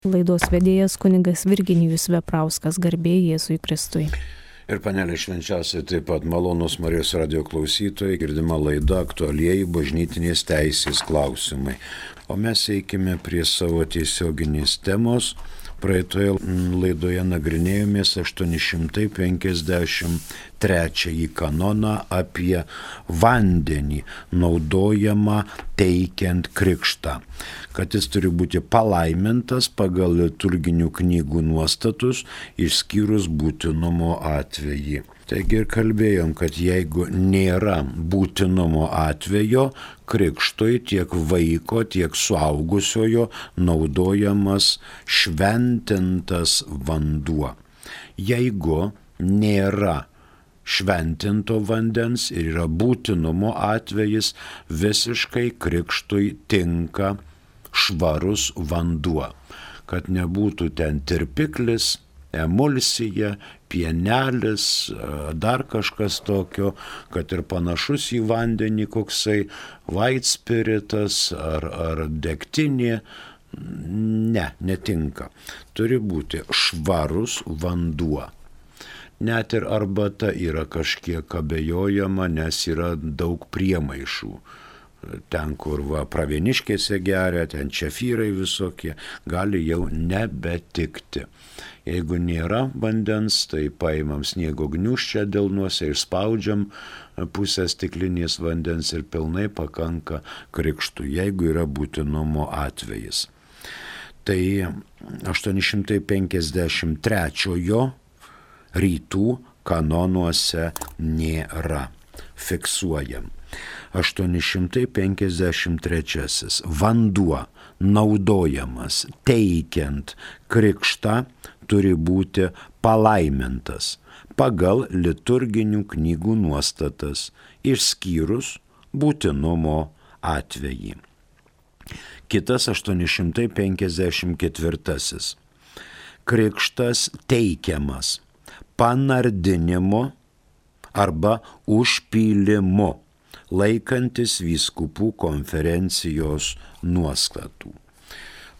Laidos vedėjas kunigas Virginijus Veprauskas, garbė Jėzui Kristui. Ir panelė švenčiausiai taip pat malonus Marijos radijo klausytojai, girdima laida aktualieji bažnytinės teisės klausimai. O mes eikime prie savo tiesioginės temos. Praeitoje laidoje nagrinėjomės 853 kanoną apie vandenį naudojamą teikiant krikštą, kad jis turi būti palaimintas pagal liturginių knygų nuostatus, išskyrus būtinumo atvejį. Taigi ir kalbėjom, kad jeigu nėra būtinumo atvejo, krikštui tiek vaiko, tiek suaugusiojo naudojamas šventintas vanduo. Jeigu nėra šventinto vandens ir yra būtinumo atvejis, visiškai krikštui tinka švarus vanduo, kad nebūtų ten tirpiklis, emulsija, pienelis, dar kažkas tokio, kad ir panašus į vandenį koksai vaitspiritas ar degtinė. Ne, netinka. Turi būti švarus vanduo. Net ir arbata yra kažkiek abejojama, nes yra daug priemaišų. Ten, kur pravieniškėse geria, ten čefyrai visokie, gali jau nebetikti. Jeigu nėra vandens, tai paimam sniego gniūžčią delnuose, išspaudžiam pusę stiklinės vandens ir pilnai pakanka krikštui, jeigu yra būtinumo atvejis. Tai 853 rytų kanonuose nėra. Fiksuojam. 853. Vanduo naudojamas teikiant krikštą turi būti palaimintas pagal liturginių knygų nuostatas, išskyrus būtinumo atvejį. Kitas 854. Krikštas teikiamas panardinimu arba užpylimu, laikantis vyskupų konferencijos nuostatų.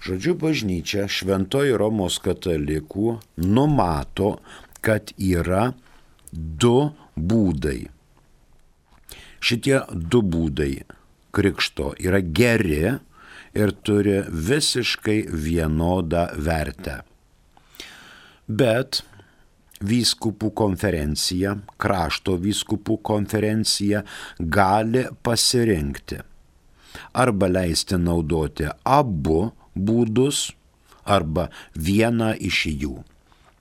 Žodžiu, bažnyčia Šventoji Romos katalikų numato, kad yra du būdai. Šitie du būdai krikšto yra geri ir turi visiškai vienodą vertę. Bet vyskupų konferencija, krašto vyskupų konferencija gali pasirinkti arba leisti naudoti abu būdus, arba vieną iš jų.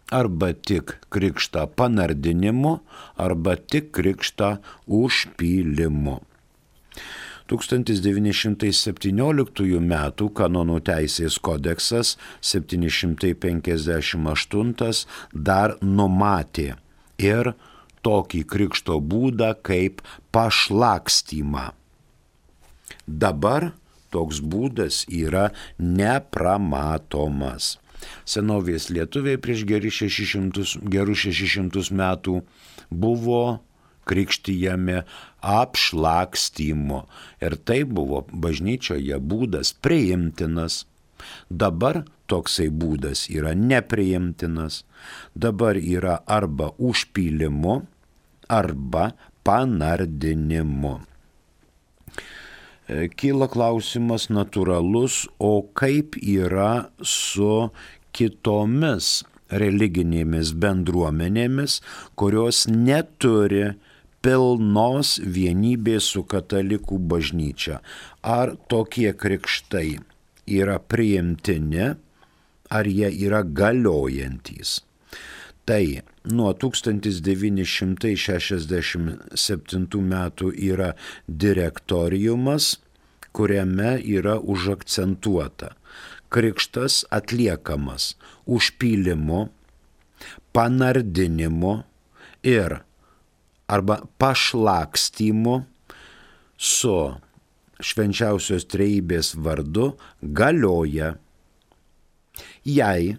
Arba tik krikštą panardinimu, arba tik krikštą užpylimu. 1917 m. kanonų teisės kodeksas 758 dar numatė ir tokį krikšto būdą kaip pašlakstymą. Dabar toks būdas yra nepramatomas. Senovės lietuviai prieš gerus 600 metų buvo krikštijami apšlakstymu ir tai buvo bažnyčioje būdas priimtinas. Dabar toksai būdas yra nepriimtinas. Dabar yra arba užpylimu, arba panardinimu. Kyla klausimas natūralus, o kaip yra su kitomis religinėmis bendruomenėmis, kurios neturi pilnos vienybės su katalikų bažnyčia. Ar tokie krikštai yra priimtini, ar jie yra galiojantys? Tai nuo 1967 metų yra direktoriumas, kuriame yra užakcentuota. Krikštas atliekamas užpylimu, panardinimu ir arba pašlakstymu su švenčiausios trejybės vardu galioja, jei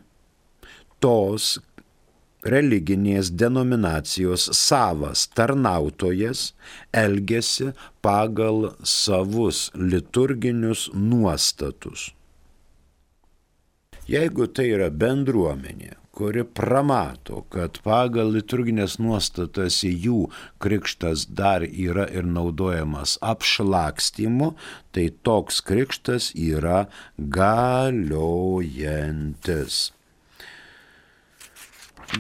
tos religinės denominacijos savas tarnautojas elgiasi pagal savus liturginius nuostatus. Jeigu tai yra bendruomenė, kuri pramato, kad pagal liturginės nuostatas į jų krikštas dar yra ir naudojamas apšlakstymu, tai toks krikštas yra galiojantis.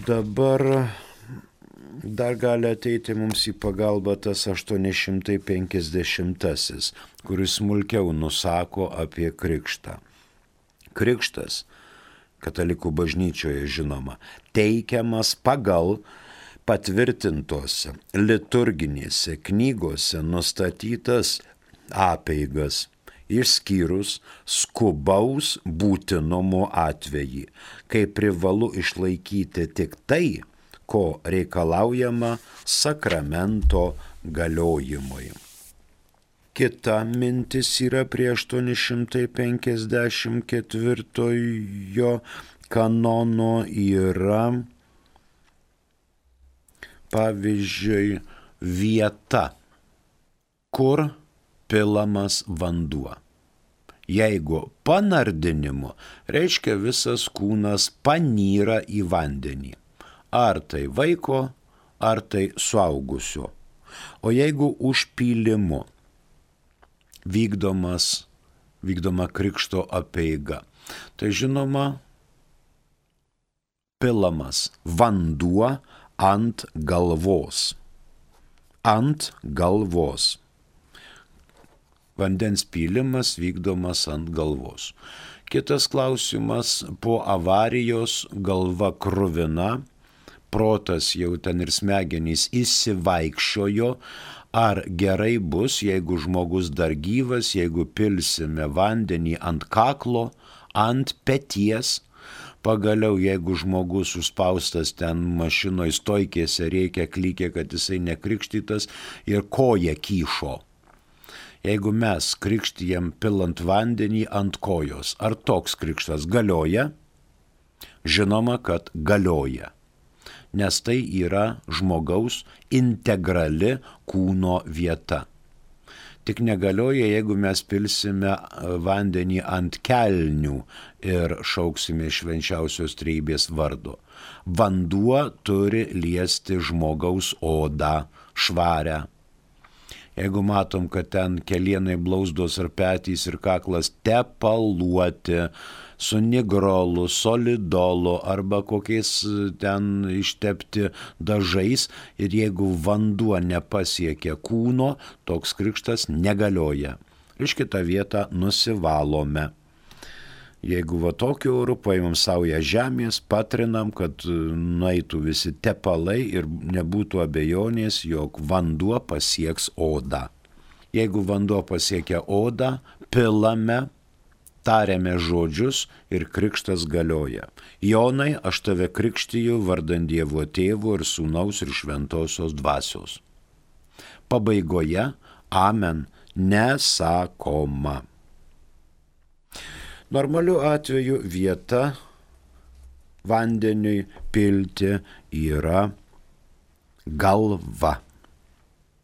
Dabar dar gali ateiti mums į pagalbą tas 850, kuris smulkiau nusako apie krikštą. Krikštas, katalikų bažnyčioje žinoma, teikiamas pagal patvirtintose liturginėse knygose nustatytas apeigas, išskyrus skubaus būtinumo atvejį, kai privalu išlaikyti tik tai, ko reikalaujama sakramento galiojimui. Kita mintis yra prie 854 kanono yra, pavyzdžiui, vieta, kur pilamas vanduo. Jeigu panardinimu, reiškia visas kūnas panyra į vandenį. Ar tai vaiko, ar tai suaugusio. O jeigu užpylimu vykdoma krikšto apeiga, tai žinoma, pilamas vanduo ant galvos. Ant galvos. Vandens pylimas vykdomas ant galvos. Kitas klausimas, po avarijos galva kruvina, protas jau ten ir smegenys įsivaikščiojo, ar gerai bus, jeigu žmogus dar gyvas, jeigu pilsime vandenį ant kaklo, ant peties, pagaliau jeigu žmogus užspaustas ten mašinoj stojkėse reikia klykė, kad jisai nekrikštytas ir koja kyšo. Jeigu mes krikštijam pilant vandenį ant kojos, ar toks krikštas galioja? Žinoma, kad galioja. Nes tai yra žmogaus integrali kūno vieta. Tik negalioja, jeigu mes pilsime vandenį ant kelnių ir šauksime švenčiausios trejybės vardo. Vanduo turi liesti žmogaus odą švarę. Jeigu matom, kad ten kelienai blauzdos ar petys ir kaklas tepaluoti, su nigrolu, solidolu arba kokiais ten ištepti dažais ir jeigu vanduo nepasiekia kūno, toks krikštas negalioja. Iš kitą vietą nusivalome. Jeigu va tokiu oru paimam saują žemės, patrinam, kad nueitų visi tepalai ir nebūtų abejonės, jog vanduo pasieks odą. Jeigu vanduo pasiekia odą, pilame, tariame žodžius ir krikštas galioja. Jonai, aš tave krikštiju vardan Dievo Tėvo ir Sūnaus ir Šventosios Dvasios. Pabaigoje amen nesakoma. Normaliu atveju vieta vandeniui pilti yra galva.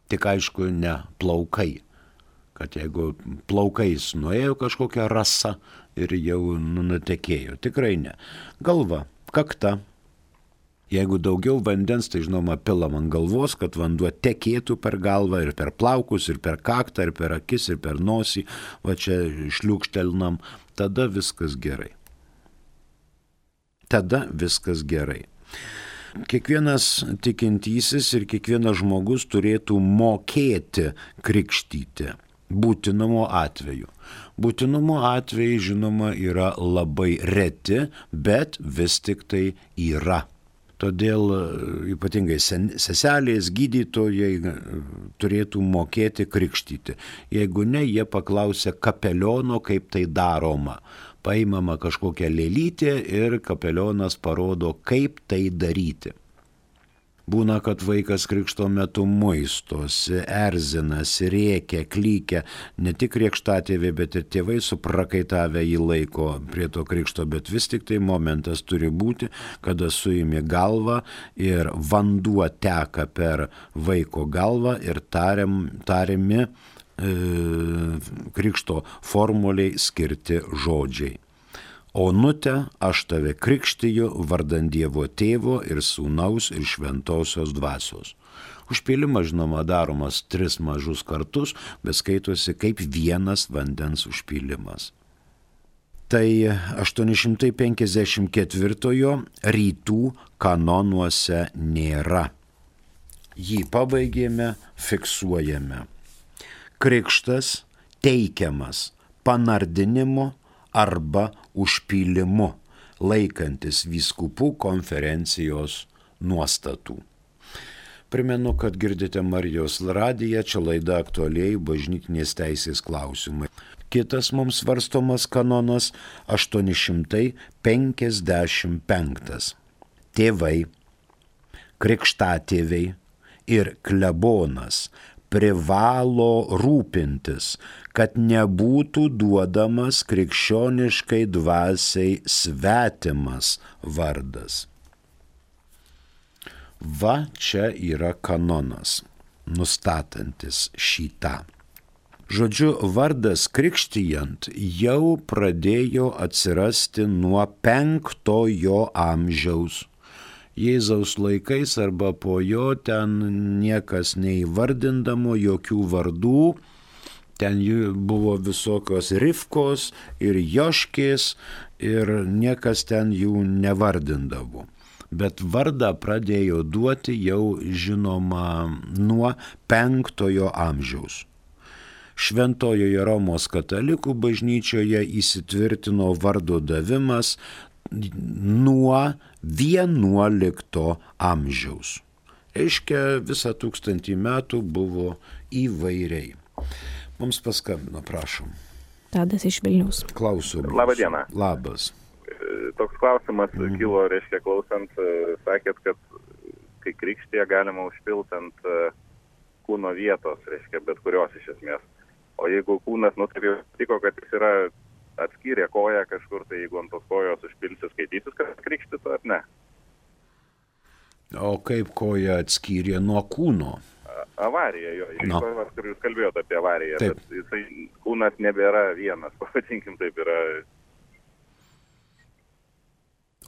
Tik aišku, ne plaukai. Kad jeigu plaukais nuėjo kažkokia rasa ir jau nutekėjo. Tikrai ne. Galva, kakta. Jeigu daugiau vandens, tai žinoma pilam ant galvos, kad vanduo tekėtų per galvą ir per plaukus, ir per kaktą, ir per akis, ir per nosį. Va čia šliūkštelnam. Tada viskas gerai. Tada viskas gerai. Kiekvienas tikintysis ir kiekvienas žmogus turėtų mokėti krikštyti. Būtinumo atveju. Būtinumo atvejai, žinoma, yra labai reti, bet vis tik tai yra. Todėl ypatingai seselės, gydytojai turėtų mokėti krikštyti. Jeigu ne, jie paklausia kapeliono, kaip tai daroma. Paimama kažkokia lėlytė ir kapelionas parodo, kaip tai daryti. Būna, kad vaikas krikšto metu muistosi, erzinasi, rėkia, klykia, ne tik krikštatėviai, bet ir tėvai suprakaitavę jį laiko prie to krikšto, bet vis tik tai momentas turi būti, kada suimi galvą ir vanduo teka per vaiko galvą ir tariami krikšto formuliai skirti žodžiai. Onute, aš tave krikštiju vardant Dievo Tėvo ir Sūnaus ir Šventosios Dvasios. Užpylimas, žinoma, daromas 3 mažus kartus, bet skaitosi kaip vienas vandens užpylimas. Tai 854 rytų kanonuose nėra. Jį pabaigėme, fiksuojame. Krikštas teikiamas panardinimu arba užpylimu, laikantis vyskupų konferencijos nuostatų. Primenu, kad girdite Marijos radiją, čia laida aktualieji bažnytinės teisės klausimai. Kitas mums svarstomas kanonas 855. Tėvai, krikštatėviai ir klebonas privalo rūpintis, kad nebūtų duodamas krikščioniškai dvasiai svetimas vardas. Va čia yra kanonas, nustatantis šitą. Žodžiu, vardas krikštijant jau pradėjo atsirasti nuo 5 amžiaus. Jėzaus laikais arba po jo ten niekas neįvardindamo jokių vardų, ten buvo visokios Rivkos ir Joškės ir niekas ten jų nevardindavo. Bet vardą pradėjo duoti jau žinoma nuo 5 amžiaus. Šventojoje Romos katalikų bažnyčioje įsitvirtino vardo davimas nuo 11 amžiaus. Reiškia, visą 1000 metų buvo įvairiai. Mums paskambino, prašom. Tadas iš Vilniaus. Klausiu. Labą dieną. Labas. Toks klausimas kilo, reiškia, klausant, sakėt, kad kai krikštėje galima užpilti ant kūno vietos, reiškia, bet kurios iš esmės. O jeigu kūnas, taip jau tiko, kad jis yra atskyrė koją kažkur, tai jeigu ant tos kojos užpilsi, skaitysis, kad krikštytų ar ne? O kaip koja atskyrė nuo kūno? Avarija, jo. Kur jūs kalbėjote apie avariją, taip. Bet jisai, kūnas nebėra vienas, pavadinkim taip yra.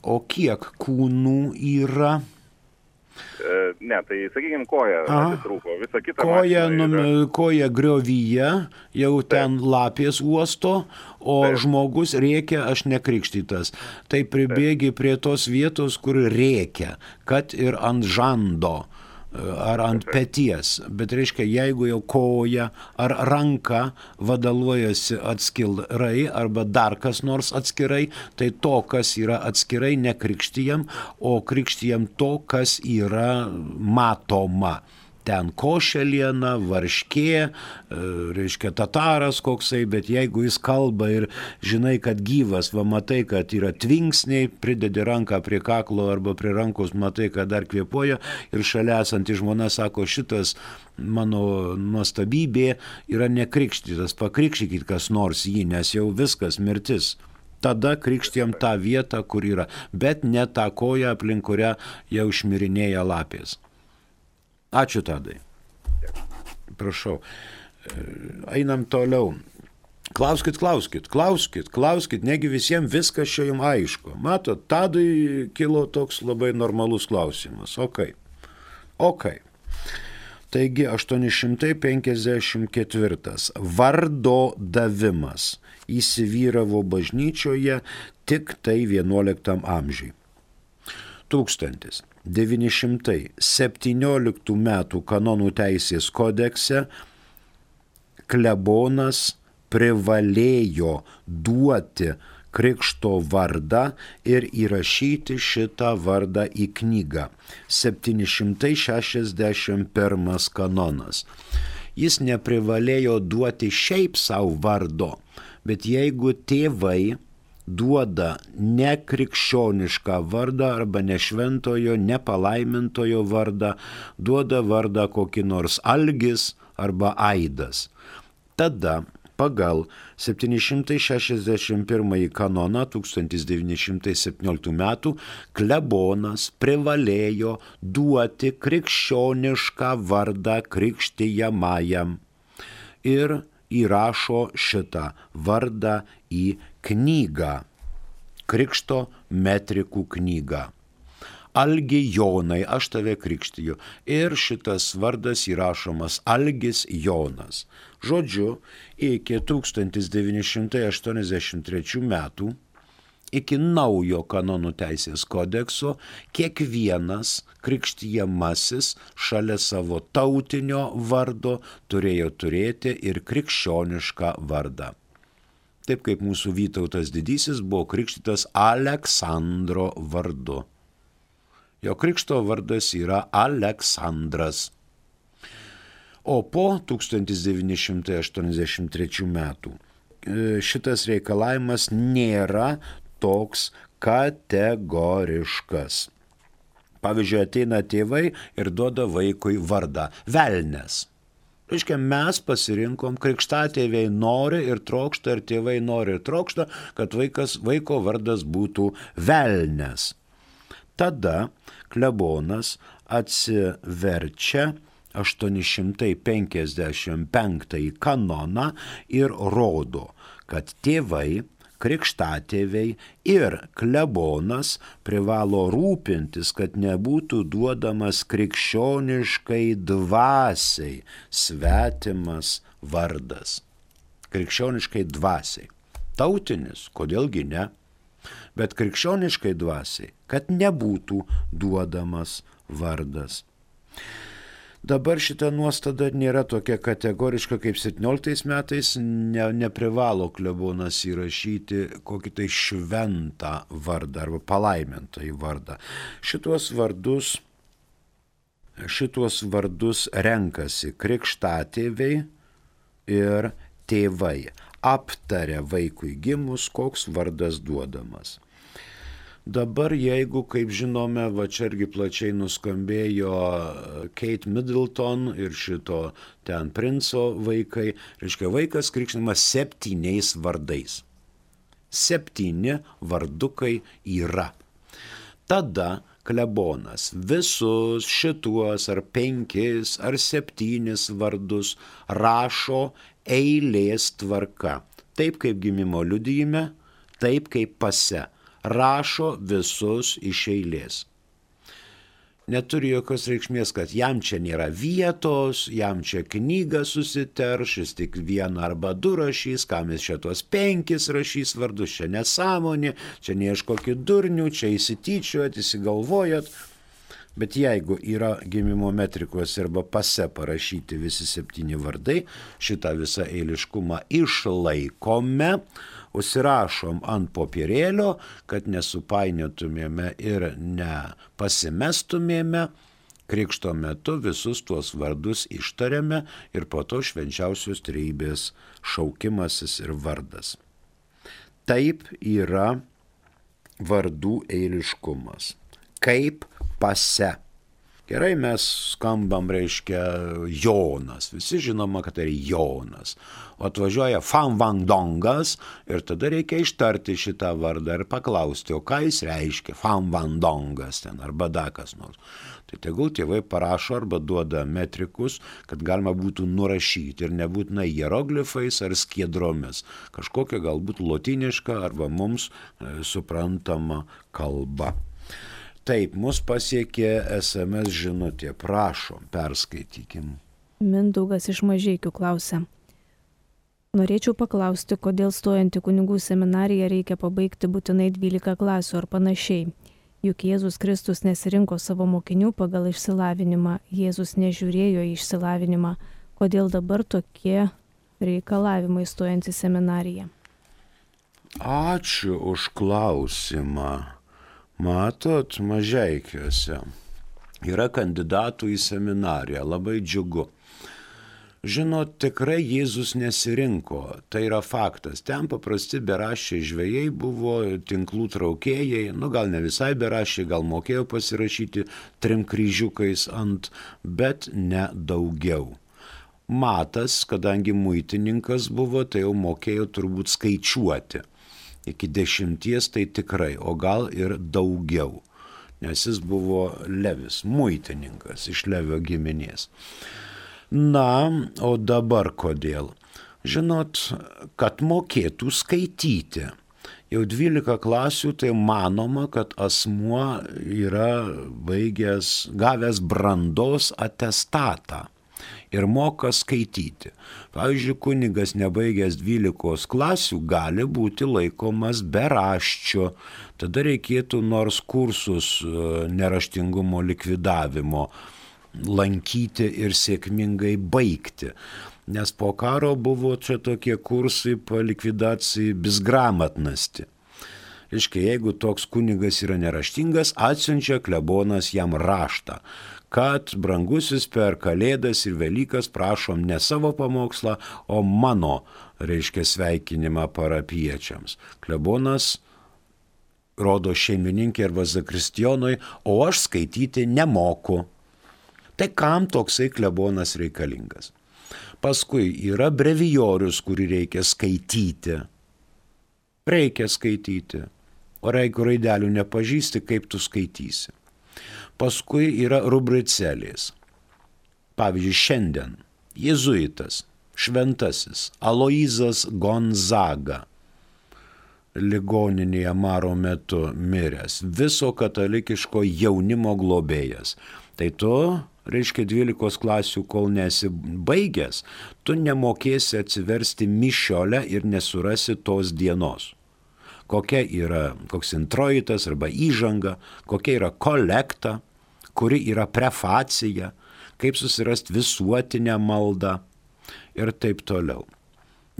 O kiek kūnų yra? Ne, tai sakykime, koja atitrūko, visa kita koja griovyje, jau ten lapės uosto, o žmogus rėkia, aš nekrikštytas. Tai pribėgi prie tos vietos, kur rėkia, kad ir ant žando ar ant peties. Bet reiškia, jeigu jau koja ar ranka vadaluojasi atskirai arba dar kas nors atskirai, tai to, kas yra atskirai, nekrikštijam, o krikštijam to, kas yra matoma. Ten košeliena, varškė, reiškia tataras koksai, bet jeigu jis kalba ir žinai, kad gyvas, va matai, kad yra tvinksniai, pridedi ranką prie kaklo arba prie rankos, matai, kad dar kvėpuoja ir šalia esanti žmona sako, šitas mano nuostabybė yra nekrikštytas, pakrikštykit kas nors jį, nes jau viskas mirtis. Tada krikštijam tą vietą, kur yra, bet ne tą koją, aplink kurią jau išmirinėja lapės. Ačiū, Tadai. Prašau. Einam toliau. Klauskit, negi visiems viskas čia jums aišku. Matot, Tadui kilo toks labai normalus klausimas. Ok. Taigi 854. Vardo davimas įsivyravo bažnyčioje tik tai 11 amžiui. 1917 metų kanonų teisės kodekse klebonas privalėjo duoti krikšto vardą ir įrašyti šitą vardą į knygą. 761 kanonas. Jis neprivalėjo duoti šiaip savo vardo, bet jeigu tėvai duoda nekrikščionišką vardą arba nešventojo, nepalaimintojo vardą, duoda vardą kokį nors Algis arba Aidas. Tada pagal 761 kanoną 1917 metų klebonas privalėjo duoti krikščionišką vardą krikštijamajam ir įrašo šitą vardą į knygą. Krikšto metrikų knyga. Algi Jonai, aš tave krikštiju. Ir šitas vardas įrašomas Algis Jonas. Žodžiu, iki 1983 metų, iki naujo kanonų teisės kodekso, kiekvienas krikštijamasis šalia savo tautinio vardo turėjo turėti ir krikščionišką vardą. Taip kaip mūsų Vytautas Didysis buvo krikštytas Aleksandro vardu. Jo krikšto vardas yra Aleksandras. O po 1983 metų šitas reikalavimas nėra toks kategoriškas. Pavyzdžiui, ateina tėvai ir duoda vaikui vardą Velnes. Reiškia, mes pasirinkom, krikštatėviai nori ir trokšta, ir tėvai nori ir trokšta, kad vaiko vardas būtų Velnes. Tada klebonas atsiverčia 855 kanoną ir rodo, kad tėvai, krikštatėviai ir klebonas privalo rūpintis, kad nebūtų duodamas krikščioniškai dvasiai svetimas vardas. Krikščioniškai dvasiai. Tautinis, kodėlgi ne? Bet krikščioniškai dvasiai, kad nebūtų duodamas vardas. Dabar šita nuostata nėra tokia kategoriška kaip 17 metais, neprivalo klebonas įrašyti kokį tai šventą vardą arba palaimintąjį vardą. Šituos vardus renkasi krikštatėviai ir tėvai. Aptaria vaikui gimus, koks vardas duodamas. Dabar jeigu, kaip žinome, va čia irgi plačiai nuskambėjo Kate Middleton ir šito ten princo vaikai, reiškia vaikas krikštinamas 7 vardais. 7 vardukai yra. Tada klebonas visus šituos ar 5 ar 7 vardus rašo eilės tvarka. Taip kaip gimimo liudijime, taip kaip pase. Rašo visus iš eilės. Neturi jokios reikšmės, kad jam čia nėra vietos, jam čia knyga susiterš, jis tik 1 arba 2 rašys, kam jis čia tuos 5 rašys vardus, čia nesąmonė, čia neieškokit durnių, čia įsityčiojat, įsigalvojat. Bet jeigu yra gimimo metrikos arba pase parašyti visi 7 vardai, šitą visą eiliškumą išlaikome, užsirašom ant popierėlio, kad nesupainiotumėme ir nepasimestumėme, krikšto metu visus tuos vardus ištariame ir po to švenčiausios trejybės šaukimasis ir vardas. Taip yra vardų eiliškumas. Kaip pase. Gerai, mes skambam, reiškia, Jonas. Visi žinoma, kad tai Jonas. O atvažiuoja Famvandongas ir tada reikia ištarti šitą vardą ir paklausti, o ką jis reiškia Famvandongas ten arba dakas nors. Tai tegul tėvai parašo arba duoda metrikus, kad galima būtų nurašyti ir nebūtinai hieroglifais ar skiedromis. Kažkokia galbūt lotyniška arba mums suprantama kalba. Taip, mus pasiekė SMS žinutė. Prašom, perskaitykim. Mindaugas iš Mažeikių klausia. Norėčiau paklausti, kodėl stojant į kunigų seminariją reikia pabaigti būtinai 12 klasių ar panašiai. Juk Jėzus Kristus nesirinko savo mokinių pagal išsilavinimą. Jėzus nežiūrėjo į išsilavinimą. Kodėl dabar tokie reikalavimai stojant į seminariją? Ačiū už klausimą. Matot, Mažeikiuose yra kandidatų į seminariją, labai džiugu. Žinot, tikrai Jėzus nesirinko, tai yra faktas. Ten paprasti beraščiai žvejai buvo, tinklų traukėjai, gal ne visai beraščiai, gal mokėjo pasirašyti 3 kryžiukais ant, bet ne daugiau. Matas, kadangi muitininkas buvo, tai jau mokėjo turbūt skaičiuoti. Iki 10 tai tikrai, o gal ir daugiau, nes jis buvo Levis, muitininkas iš Levio giminės. Na, o dabar kodėl? Žinot, kad mokėtų skaityti. Jau 12 klasių tai manoma, kad asmuo yra gavęs brandos atestatą ir moka skaityti. Pavyzdžiui, kunigas nebaigęs 12 klasių gali būti laikomas beraščiu. Tada reikėtų nors kursus neraštingumo likvidavimo lankyti ir sėkmingai baigti. Nes po karo buvo čia tokie kursai po likvidacijai bizgramatnosti. Reiškia, jeigu toks kunigas yra neraštingas, atsiunčia klebonas jam raštą, kad brangusis per Kalėdas ir Velykas prašom ne savo pamokslą, o mano, sveikinimą parapiečiams. Klebonas rodo šeimininkė arba zakristijonui, o aš skaityti nemoku. Tai kam toksai klebonas reikalingas? Paskui yra brevijorius, kurį reikia skaityti. Reikia skaityti. O jeigu raidelių nepažįsti, kaip tu skaitysi. Paskui yra rubricelės. Pavyzdžiui, šiandien jėzuitas, šventasis Aloyzas Gonzaga, ligoninėje maro metu miręs, viso katalikiško jaunimo globėjas. Tai tu, 12 klasių, kol nesi baigęs, tu nemokėsi atsiversti mišiolę ir nesurasi tos dienos. Koks introitas arba įžanga, kokia yra kolekta, kuri yra prefacija, kaip susirasti visuotinę maldą ir taip toliau.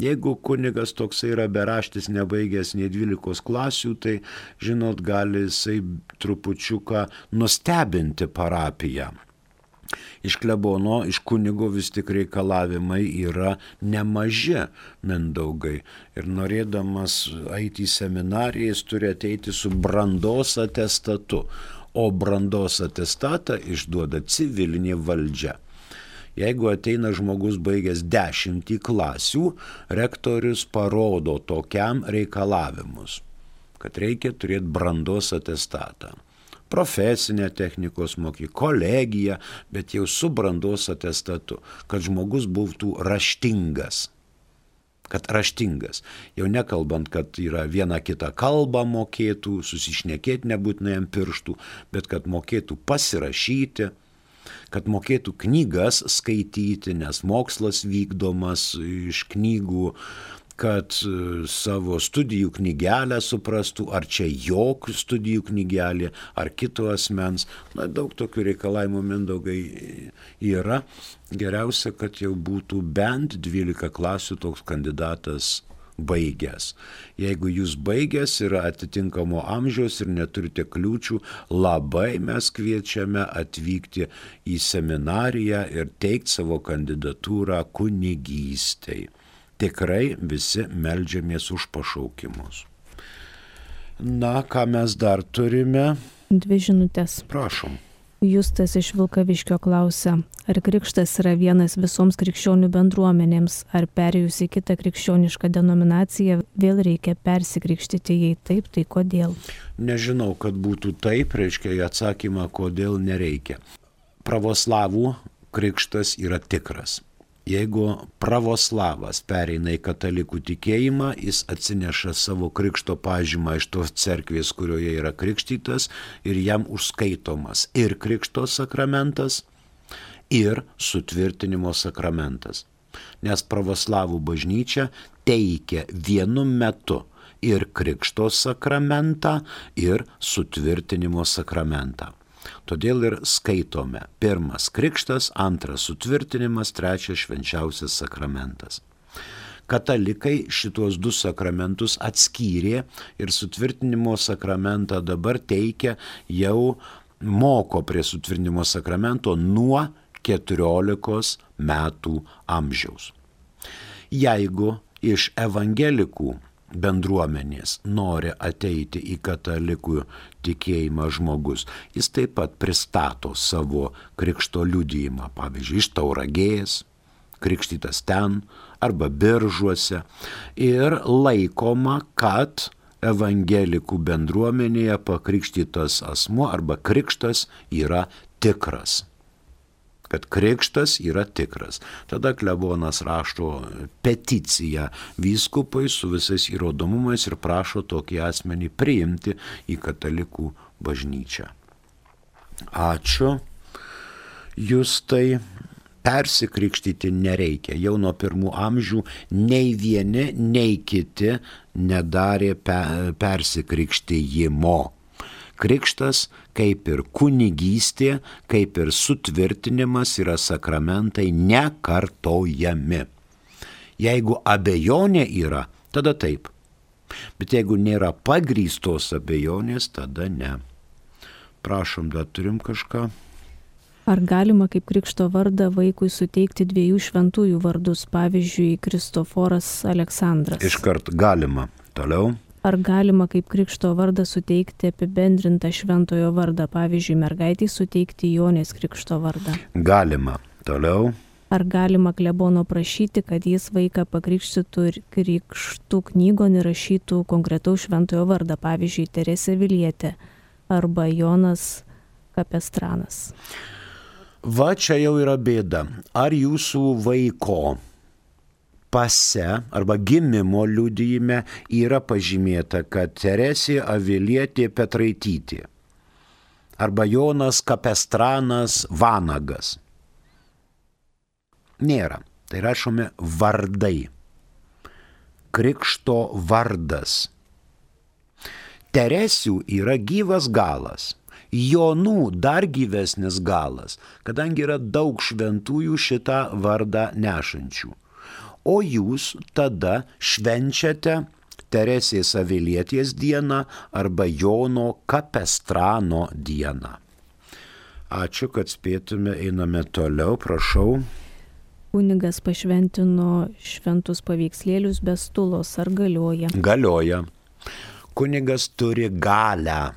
Jeigu kunigas toksai yra beraštis, nebaigęs nei 12 klasių, tai, žinot, gali jisai trupučiuką nustebinti parapiją. Iš klebono, iš kunigo vis tik reikalavimai yra nemaži, Mindaugai. Ir norėdamas eiti į seminariją, jis turi ateiti su brandos atestatu. O brandos atestatą išduoda civilinė valdžia. Jeigu ateina žmogus baigęs 10 klasių, rektorius parodo tokiam reikalavimus, kad reikia turėti brandos atestatą. Profesinė technikos mokykla, kolegija, bet jau su brandos atestatu, kad žmogus būtų raštingas. Jau nekalbant, kad yra viena kita kalba mokėtų, susišnekėti nebūtinai ant pirštų, bet kad mokėtų pasirašyti, kad mokėtų knygas skaityti, nes mokslas vykdomas iš knygų, kad savo studijų knygelę suprastų, ar čia jo studijų knygelė, ar kito asmens. Daug tokių reikalavimų, Mindaugai, yra. Geriausia, kad jau būtų bent 12 klasių toks kandidatas baigęs. Jeigu jūs baigęs yra atitinkamo amžiaus ir neturite kliūčių, labai mes kviečiame atvykti į seminariją ir teikti savo kandidatūrą kunigystei. Tikrai visi meldžiamės už pašaukimus. Na, ką mes dar turime? 2 žinutės. Prašom. Justas iš Vilkaviškio klausia, ar krikštas yra vienas visoms krikščionių bendruomenėms, ar perėjus į kitą krikščionišką denominaciją vėl reikia persikrikštyti, jei taip, tai kodėl? Nežinau, kad būtų taip, reiškia atsakymą, kodėl nereikia. Pravoslavų krikštas yra tikras. Jeigu pravoslavas pereina į katalikų tikėjimą, jis atsineša savo krikšto pažymą iš tos cerkvės, kurioje yra krikštytas, ir jam užskaitomas ir krikšto sakramentas, ir sutvirtinimo sakramentas. Nes pravoslavų bažnyčia teikia vienu metu ir krikšto sakramentą, ir sutvirtinimo sakramentą. Todėl ir skaitome 1 krikštas, 2 sutvirtinimas, 3 švenčiausias sakramentas. Katalikai šitos 2 sakramentus atskyrė ir sutvirtinimo sakramentą dabar teikia, jau moko prie sutvirtinimo sakramento nuo 14 metų amžiaus. Jeigu iš evangelikų bendruomenės nori ateiti į katalikų tikėjimą žmogus, jis taip pat pristato savo krikšto liudijimą, pavyzdžiui, iš Tauragės, krikštytas ten arba Biržuose, ir laikoma, kad evangelikų bendruomenėje pakrikštytas asmuo arba krikštas yra tikras. kad krikštas yra tikras. Tada klebonas rašo peticiją vyskupui su visais įrodomumais ir prašo tokį asmenį priimti į katalikų bažnyčią. Ačiū. Justai, persikrikštyti nereikia. Jau nuo pirmų amžių nei vieni, nei kiti nedarė persikrikštijimo. Krikštas, kaip ir kunigystė, kaip ir sutvirtinimas, yra sakramentai nekartojami. Jeigu abejonė yra, tada taip. Bet jeigu nėra pagrįstos abejonės, tada ne. Prašom, dar turim kažką. Ar galima kaip krikšto vardą vaikui suteikti 2 šventųjų vardus, pavyzdžiui, Kristoforas Aleksandras? Iškart galima. Toliau. Ar galima kaip krikšto vardą suteikti apibendrintą šventojo vardą, pavyzdžiui, mergaitei suteikti Jonės krikšto vardą? Galima. Toliau. Ar galima klebono prašyti, kad jis vaiką pakrikštytų ir krikštų knygon įrašytų konkretaus šventojo vardą, pavyzdžiui, Teresė Vilietė arba Jonas Kapestranas? Va čia jau yra bėda. Ar jūsų vaiko pase arba gimimo liudijime yra pažymėta, kad Teresė Avilietė Petraitytė arba Jonas Kapestranas Vanagas? Nėra. Tai rašome vardai. Krikšto vardas. Teresių yra gyvas galas. Jonų dar gyvesnis galas, kadangi yra daug šventųjų šitą vardą nešančių. O jūs tada švenčiate Teresės Avilietės dieną arba Jono Kapestrano dieną. Ačiū, kad spėtume, einame toliau, prašau. Kunigas pašventino šventus paveikslėlius be stulos, ar galioja? Galioja. Kunigas turi galią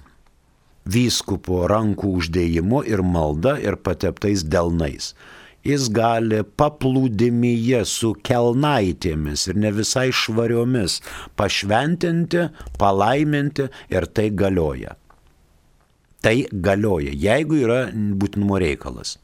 vyskupo rankų uždėjimu ir malda ir pateptais delnais. Jis gali paplūdimyje su kelnaitėmis ir ne visai švariomis pašventinti, palaiminti ir tai galioja. Tai galioja, jeigu yra būtinumo reikalas.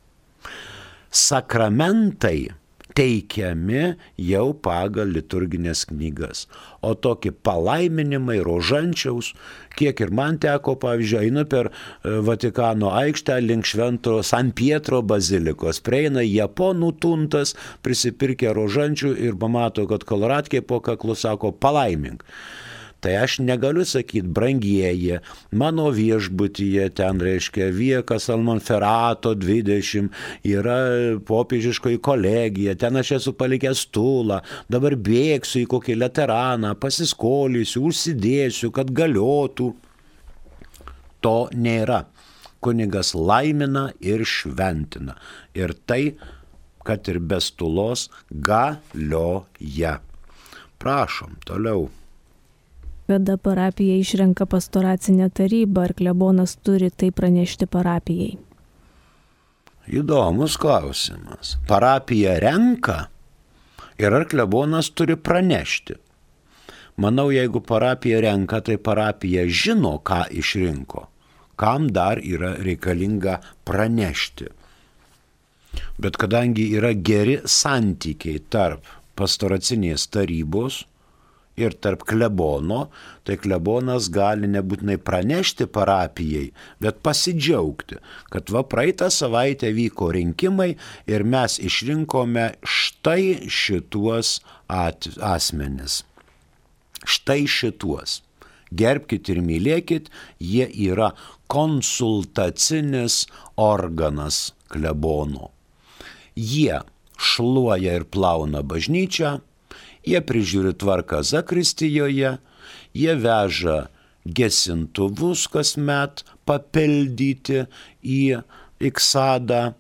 Sakramentai teikiami jau pagal liturginės knygas. O tokie palaiminimai rožančiaus, kiek ir man teko, pavyzdžiui, einu per Vatikano aikštę link Švento San Pietro bazilikos, prieina japonų tuntas, prisipirkę rožančių ir pamato, kad koloratkė po kaklu sako palaimink. Tai aš negaliu sakyti, brangieji, mano viešbutyje ten reiškia Via Casalmonferrato 20, yra popiežiškoji kolegija, ten aš esu palikęs stulą, dabar bėgsiu į kokį Lateraną, pasiskolysiu, užsidėsiu, kad galiotų. To nėra. Kunigas laimina ir šventina. Ir tai, kad ir be stulos, galioja. Prašom, toliau. Kada parapija išrenka pastoracinę tarybą, ar klebonas turi tai pranešti parapijai? Įdomus klausimas. Parapija renka ir ar klebonas turi pranešti? Manau, jeigu parapija renka, tai parapija žino, ką išrinko. Kam dar yra reikalinga pranešti. Bet kadangi yra geri santykiai tarp pastoracinės tarybos ir tarp klebono, tai klebonas gali nebūtinai pranešti parapijai, bet pasidžiaugti, kad va praeitą savaitę vyko rinkimai ir mes išrinkome štai šituos asmenis. Štai šituos. Gerbkit ir mylėkit, jie yra konsultacinis organas klebono. Jie šluoja ir plauna bažnyčią, jie prižiūri tvarką zakristijoje, jie veža gesintuvus kasmet papildyti į iksadą,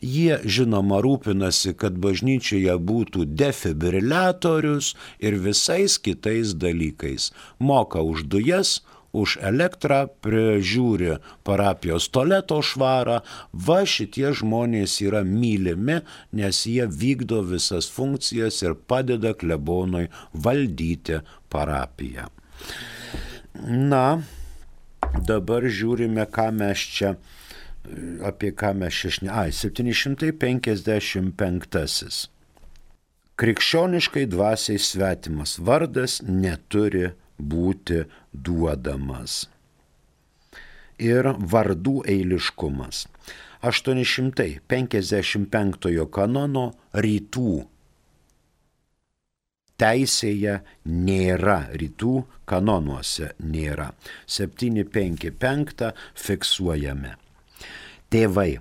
jie žinoma rūpinasi, kad bažnyčioje būtų defibriliatorius ir visais kitais dalykais. Moka už dujas, už elektrą, prižiūri parapijos tualeto švarą. Va šitie žmonės yra mylimi, nes jie vykdo visas funkcijas ir padeda klebonui valdyti parapiją. Na, dabar žiūrime, ką mes čia apie ką mes 755. Krikščioniškai dvasiai svetimas vardas neturi būti duodamas. Ir vardų eiliškumas. 855 kanono rytų teisėje nėra, rytų kanonuose nėra. 755 fiksuojame. Tėvai,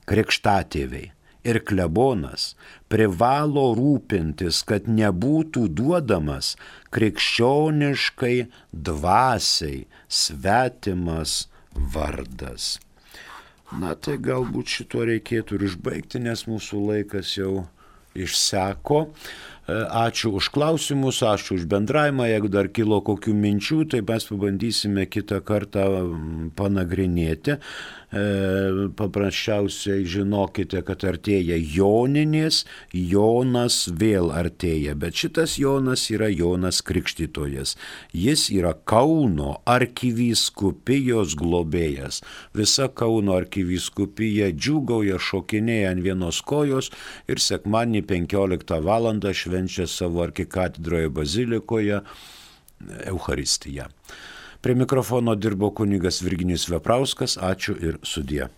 krikštatėviai ir klebonas privalo rūpintis, kad nebūtų duodamas krikščioniškai dvasiai svetimas vardas. Na tai galbūt šito reikėtų ir išbaigti, nes mūsų laikas jau išseko. Ačiū už klausimus, ačiū už bendravimą. Jeigu dar kilo kokių minčių, tai mes pabandysime kitą kartą panagrinėti. Paprasčiausiai žinokite, kad artėja Joninės, Jonas vėl artėja, bet šitas Jonas yra Jonas Krikštytojas. Jis yra Kauno arkivyskupijos globėjas. Visa Kauno arkivyskupija džiūgauja, šokinėja ant vienos kojos ir sekmadienį 15 val. Švenčia savo arkikatedroje bazilikoje Eucharistiją. Prie mikrofono dirbo kunigas Virginijus Veprauskas. Ačiū ir sudie.